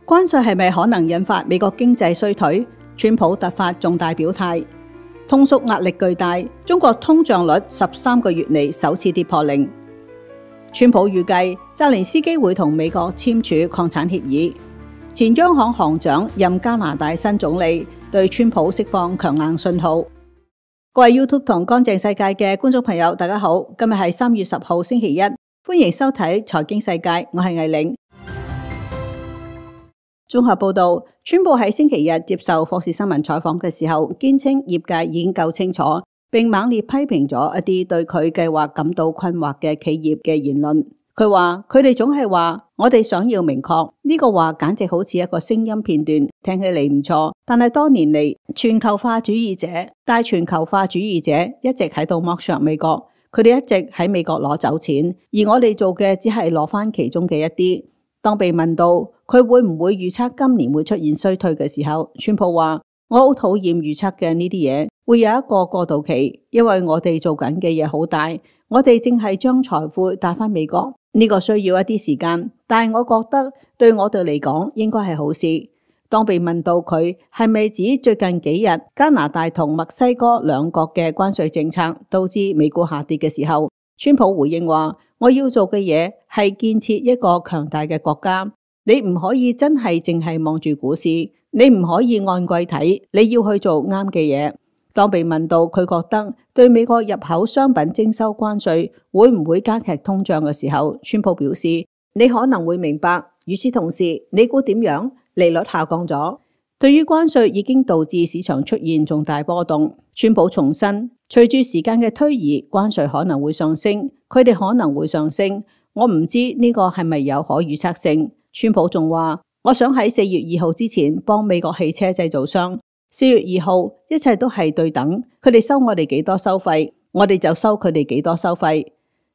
關稅係咪可能引發美國經濟衰退？川普突發重大表態，通縮壓力巨大，中國通脹率13個月嚟首次跌破零。川普預計澤連斯基會同美國簽署擴產協議。前央行行長任加拿大新總理，對川普釋放強硬信號。各位 YouTube 同乾淨世界嘅觀眾朋友，大家好，今日係3月10號星期一，歡迎收睇財經世界，我係魏玲。綜合報道，川普喺星期日接受霍士新聞採訪嘅時候，堅稱業界已經夠清楚，並猛烈批評咗一啲對佢計劃感到困惑嘅企業嘅言論。佢話佢哋總係話我哋想要明確，呢個話簡直好似一個聲音片段，聽起嚟唔錯，但係多年嚟大全球化主義者一直喺度剝削美國，佢哋一直喺美國攞走錢，而我哋做嘅只係攞翻其中嘅一啲。當被問到佢會唔會預測今年會出現衰退嘅時候，川普話：我好討厭預測嘅呢啲嘢，會有一個過渡期，因為我哋做緊嘅嘢好大，我哋正係將財富帶返美國，呢個需要一啲時間，但係我覺得對我哋嚟講應該係好事。當被問到佢係咪指最近幾日加拿大同墨西哥兩國嘅關稅政策導致美股下跌嘅時候，川普回應話：我要做嘅嘢係建設一個強大嘅國家，你唔可以真係淨係望住股市，你唔可以按季睇，你要去做啱嘅嘢。當被問到佢覺得對美國入口商品徵收關稅會唔會加劇通脹嘅時候，川普表示：你可能會明白。與此同時，你估點樣？利率下降咗。對於關稅已經導致市場出現重大波動，川普重申，隨住時間嘅推移，關稅可能會上升，佢哋可能會上升。我唔知呢個係咪有可預測性。川普仲話：我想喺4月2號之前幫美國汽車製造商。4月2號一切都係對等，佢哋收我哋幾多收費，我哋就收佢哋幾多收費。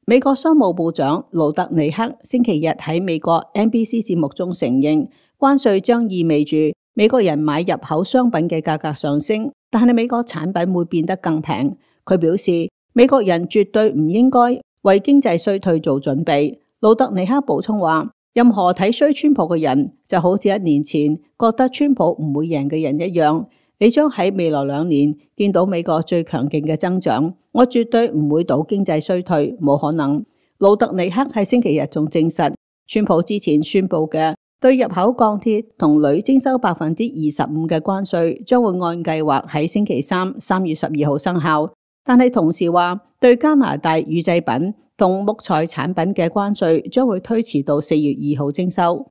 美國商務部長盧特尼克星期日喺美國 NBC 節目中承認，關稅將意味住美國人買入口商品嘅價格上升，但係美國產品會變得更平。佢表示，美國人絕對唔應該為經濟衰退做準備。盧特尼克補充話，任何睇衰川普嘅人就好似1年前覺得川普唔會贏嘅人一樣，你將喺未來2年見到美國最強勁嘅增長。我絕對唔會賭經濟衰退，冇可能。盧特尼克喺星期日仲證實，川普之前宣布嘅對入口鋼鐵同鋁徵收25%嘅關稅，將會按計劃喺星期3 3月12號生效。但係同時話，對加拿大乳製品同木材產品嘅關稅將會推遲到4月2號徵收。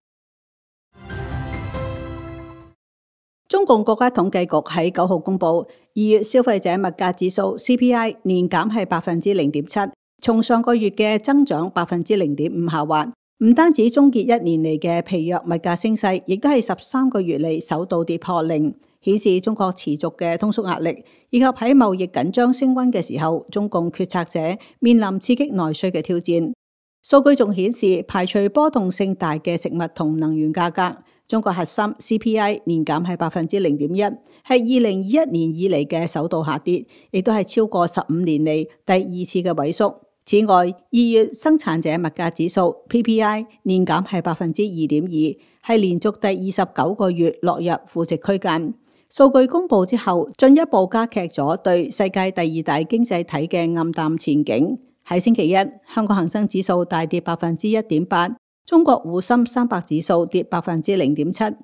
中共國家統計局喺9號公布2月消費者物價指數 CPI 年減係0.7%，從上個月嘅增長0.5%下滑。唔單止終結1年嚟嘅疲弱物價升勢，亦都係13個月嚟首度跌破零，顯示中國持續嘅通縮壓力，以及喺貿易緊張升溫嘅時候，中共決策者面臨刺激內需嘅挑戰。數據仲顯示，排除波動性大嘅食物同能源價格，中國核心 CPI 年減係0.1%，係2021年以嚟嘅首度下跌，亦都係超過15年嚟第2次嘅萎縮。此外，2月生產者物價指數 PPI 年減係2.2%，係連續第29個月落入負值區間。數據公布之後，進一步加劇咗對世界第2大經濟體嘅暗淡前景。喺星期一，香港恒生指數大跌1.8%，中國滬深300指數跌0.7%。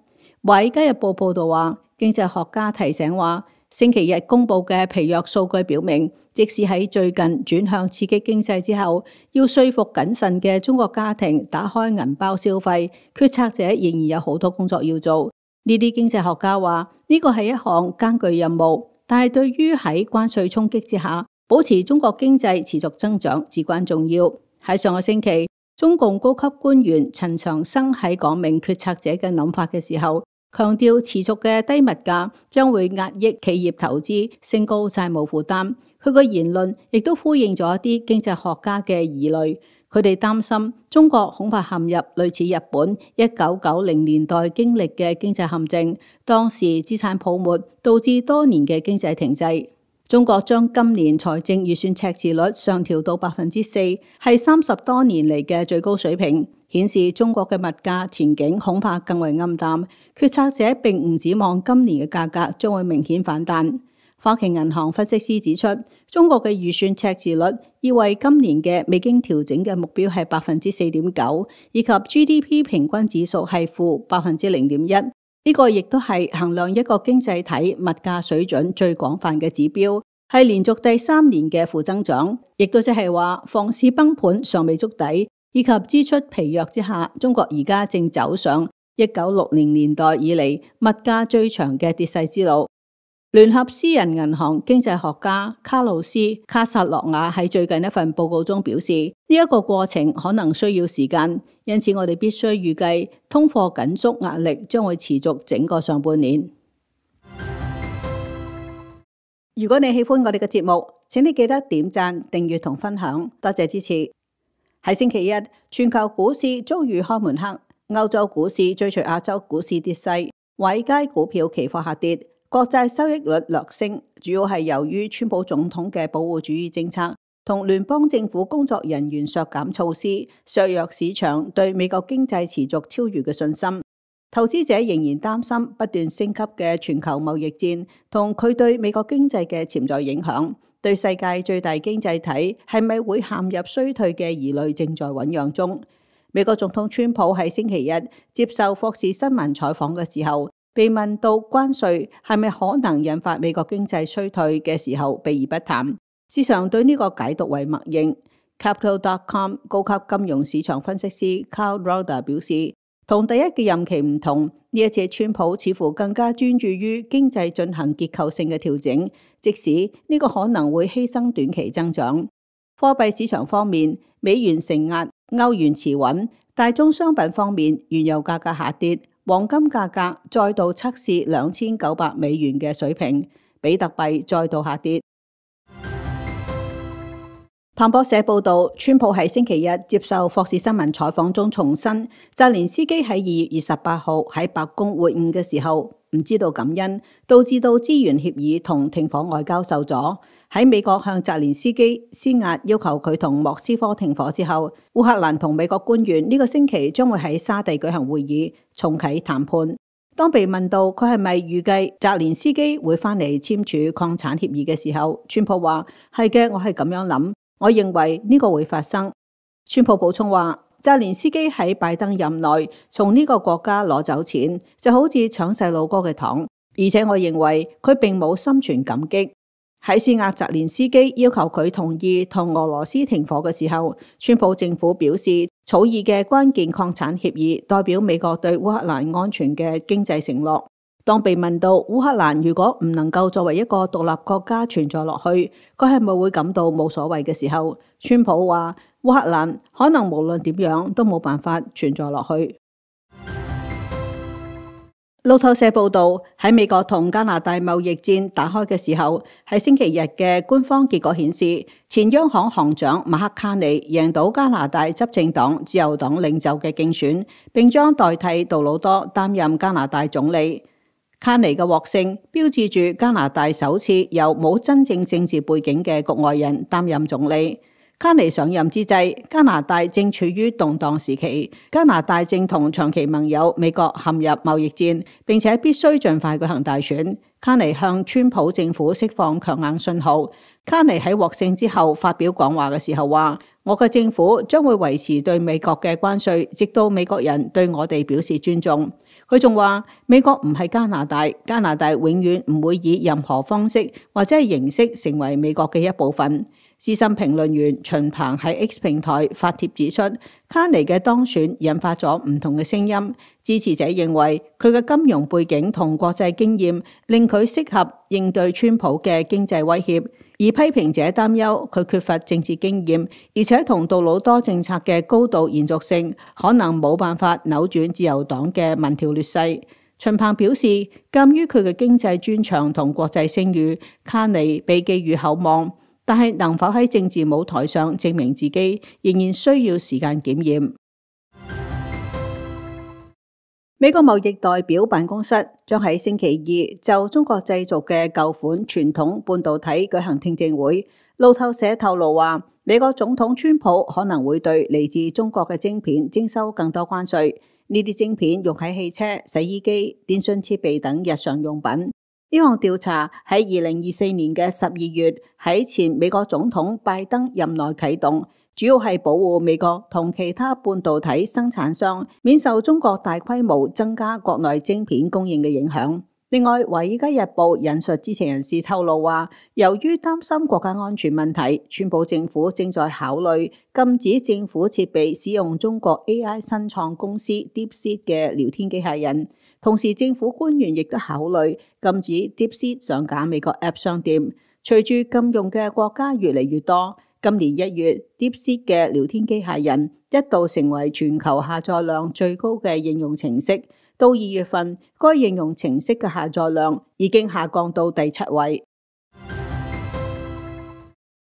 華爾街日報報道話，經濟學家提醒話，星期日公布嘅疲弱數據表明，即使喺最近轉向刺激經濟之後，要說服謹慎嘅中國家庭打開銀包消費，決策者仍然有好多工作要做。呢啲經濟學家話，呢個係一項艱巨任務，但係對於喺關稅衝擊之下，保持中國經濟持續增長至關重要。喺上個星期，中共高級官員陳長生喺講明決策者嘅諗法嘅時候，強調持續嘅低物價將會壓抑企業投資，升高債務負擔。佢個言論亦都呼應咗一啲經濟學家嘅疑慮，佢哋擔心中國恐怕陷入類似日本1990年代經歷嘅經濟陷阱，當時資產泡沫導致多年嘅經濟停滯。中國將今年財政預算赤字率上調到 4%， 係30多年嚟嘅最高水平，顯示中國嘅物價前景恐怕更為暗淡。決策者並唔指望今年嘅價格將會明顯反彈。花旗銀行分析師指出，中國嘅預算赤字率意味今年嘅未經調整嘅目標係 4.9%， 以及 GDP 平均指數係負 0.1%。呢個亦都係衡量一個經濟體物價水準最廣泛嘅指標，係連續第3年嘅負增長，亦都即係話房市崩盤尚未觸底，以及支出疲弱之下，中國而家正走上1960年代以嚟物價最長嘅跌勢之路。聯合私人銀行經濟學家卡魯斯·卡薩諾瓦喺最近一份報告中表示，呢一個過程可能需要時間，因此我哋必須預計通貨緊縮壓力將會持續整個上半年。如果你喜歡我哋嘅節目，請你記得點讚、訂閱同分享，多謝支持。喺星期一，全球股市遭遇開門黑，歐洲股市追隨亞洲股市跌勢，華爾街股票期貨下跌。國債收益率略升，主要係由於川普總統嘅保護主義政策同聯邦政府工作人員削減措施，削弱市場對美國經濟持續超越嘅信心。投資者仍然擔心不斷升級嘅全球貿易戰同佢對美國經濟嘅潛在影響，對世界最大經濟體係咪會陷入衰退嘅疑慮正在醞釀中。美國總統川普喺星期日接受霍士新聞採訪嘅時候，被問到關稅係咪可能引發美國經濟衰退嘅時候，避而不談。市場對呢個解讀為默認。Capital.com 高級金融市場分析師 Carl Roeder 表示，同第一嘅任期唔同，呢一次川普似乎更加專注於經濟進行結構性嘅調整，即使呢個可能會犧牲短期增長。貨幣市場方面，美元承壓，歐元持穩；大宗商品方面，原油價格下跌。黃金價格再度測試2900美元嘅水平，比特幣再度下跌。彭博社報道，川普喺星期日接受霍士新聞採訪中重申，澤連斯基喺2月28號喺白宮會晤嘅時候唔知道感恩，導致到資源協議同停火外交受阻。喺美國向澤連斯基施壓要求佢同莫斯科停火之後，烏克蘭同美國官員呢個星期將會喺沙地舉行會議，重啟談判。當被問到佢係咪預計澤連斯基會返嚟簽署礦產協議嘅時候，川普話：係嘅，我係咁樣諗，我認為呢個會發生。川普補充話：澤連斯基喺拜登任內從呢個國家攞走錢，就好似搶細路哥嘅糖，而且我認為佢並冇心存感激。喺施壓澤連斯基要求佢同意同俄羅斯停火嘅時候，川普政府表示草擬嘅關鍵礦產協議代表美國對烏克蘭安全嘅經濟承諾。當被問到烏克蘭如果唔能夠作為一個獨立國家存在落去，佢係咪會感到冇所謂嘅時候，川普話烏克蘭可能無論點樣都冇辦法存在落去。路透社報道，喺美國同加拿大貿易戰打開嘅時候，喺星期日嘅官方結果顯示，前央行行長馬克卡尼贏到加拿大執政黨自由黨領袖嘅競選，並將代替杜魯多擔任加拿大總理。卡尼嘅獲勝標誌住加拿大首次由冇真正政治背景嘅局外人擔任總理。卡尼上任之際，加拿大正處於動盪時期，加拿大正同長期盟友美國陷入貿易戰，並且必須盡快舉行大選。卡尼向川普政府釋放強硬信號。卡尼喺獲勝之後發表講話嘅時候話：我嘅政府將會維持對美國嘅關稅，直到美國人對我哋表示尊重。佢仲話：美國唔係加拿大，加拿大永遠唔會以任何方式或者係形式成為美國嘅一部分。資深評論員秦鵬喺 X 平台發帖指出，卡尼嘅當選引發咗唔同嘅聲音。支持者認為佢嘅金融背景同國際經驗令佢適合應對川普嘅經濟威脅，而批評者擔憂佢缺乏政治經驗，而且同杜魯多政策嘅高度延續性可能冇辦法扭轉自由黨嘅民調劣勢。秦鵬表示，鑑於佢嘅經濟專長同國際聲譽，卡尼被寄予厚望。但係能否喺政治舞台上證明自己，仍然需要時間檢驗。美國貿易代表辦公室將喺星期二就中國製造嘅舊款傳統半導體舉行聽證會。路透社透露話，美國總統川普可能會對嚟自中國嘅晶片徵收更多關稅。呢啲晶片用喺汽車、洗衣機、電信設備等日常用品。呢項調查喺2024年嘅12月喺前美國總統拜登任內啟動，主要係保護美國同其他半導體生產商免受中國大規模增加國內晶片供應嘅影響。另外，《華爾街日報》引述知情人士透露話，由於擔心國家安全問題，川普政府正在考慮禁止政府設備使用中國 AI 新創公司 DeepSeek 嘅聊天機械人。同時，政府官員亦都考慮禁止 DeepSeek 上架美國 App 商店。隨住禁用嘅國家越嚟越多，今年1月 DeepSeek 嘅聊天機械人一度成為全球下載量最高嘅應用程式。到2月份，該應用程式嘅下載量已經下降到第7位。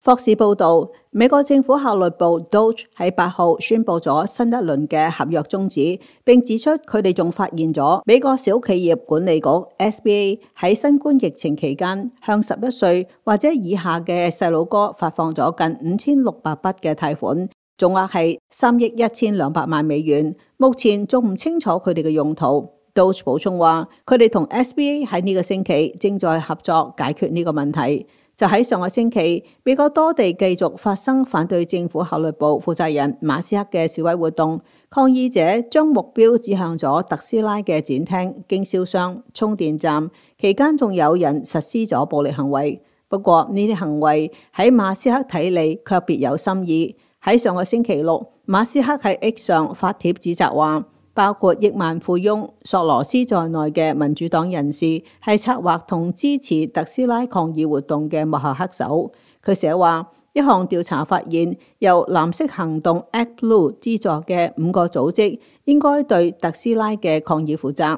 霍士報道，美國政府效率部 DOGE 喺8號宣布咗新一輪嘅合約終止，並指出佢哋仲發現咗美國小企業管理局 SBA 喺新冠疫情期間向11歲或者以下嘅細佬哥發放咗近5600筆嘅貸款，總額係3億1200萬美元，目前仲唔清楚佢哋嘅用途。DOGE 補充話，佢哋同 SBA 喺呢個星期正在合作解決呢個問題。就喺上個星期，美國多地繼續發生反對政府效率部負責人馬斯克嘅示威活動，抗議者將目標指向咗特斯拉嘅展廳、經銷商、充電站，期間仲有人實施咗暴力行為。不過呢啲行為喺馬斯克睇嚟卻別有心意。喺上個星期六，馬斯克喺 X 上發帖指責話，包括億萬富翁索羅斯在內嘅民主黨人士係策劃同支持特斯拉抗議活動嘅幕後黑手。佢寫話，一項調查發現，由藍色行動 ActBlue 資助嘅5個組織應該對特斯拉嘅抗議負責。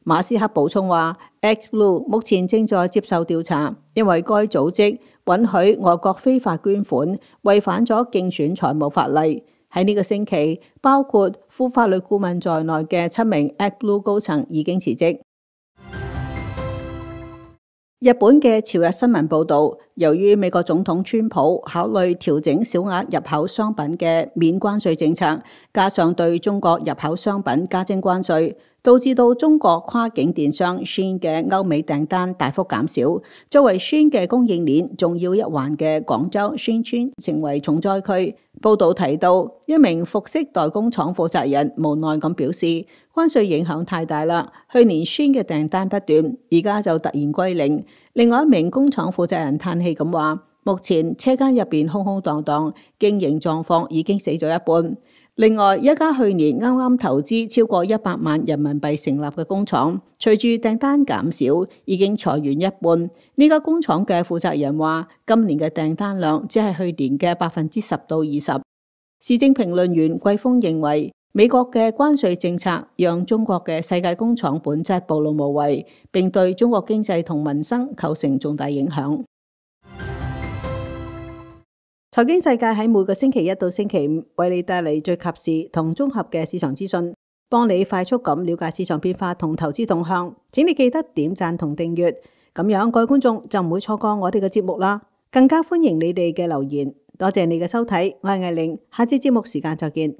馬斯克補充話，ActBlue 目前正在接受調查，因為該組織允許外國非法捐款，違反咗競選財務法例。喺呢個星期，包括副法律顧問在內嘅7名 ActBlue 高層已經辭職。日本嘅朝日新聞報導，由於美國總統川普考慮調整小額入口商品嘅免關稅政策，加上對中國入口商品加徵關稅，導致到中國跨境電商 Shein 嘅歐美訂單大幅減少。作為 Shein 嘅供應鏈重要一環嘅廣州 Shein 村成為重災區。報導提到，一名服飾代工廠負責人無奈咁表示，關稅影響太大啦，去年 Shein 嘅訂單不斷，而家就突然歸零。另外一名工廠負責人嘆氣咁話，目前車間入邊空空蕩蕩，經營狀況已經死咗一半。另外一家去年啱啱投資超過100萬人民幣成立嘅工廠，隨住訂單減少，已經裁員一半。呢家工廠嘅負責人話，今年嘅訂單量只係去年嘅10%到20%。時政評論員季峰認為，美國嘅關稅政策讓中國嘅世界工廠本質暴露無遺，並對中國經濟同民生構成重大影響。財經世界喺每個星期一到星期五為你帶嚟最及時同綜合嘅市場資訊，幫你快速咁了解市場變化同投資動向。請你記得點讚同訂閱，咁樣各位觀眾就唔會錯過我哋嘅節目啦。更加歡迎你哋嘅留言。多謝你嘅收睇，我係艾玲，下次節目時間再見。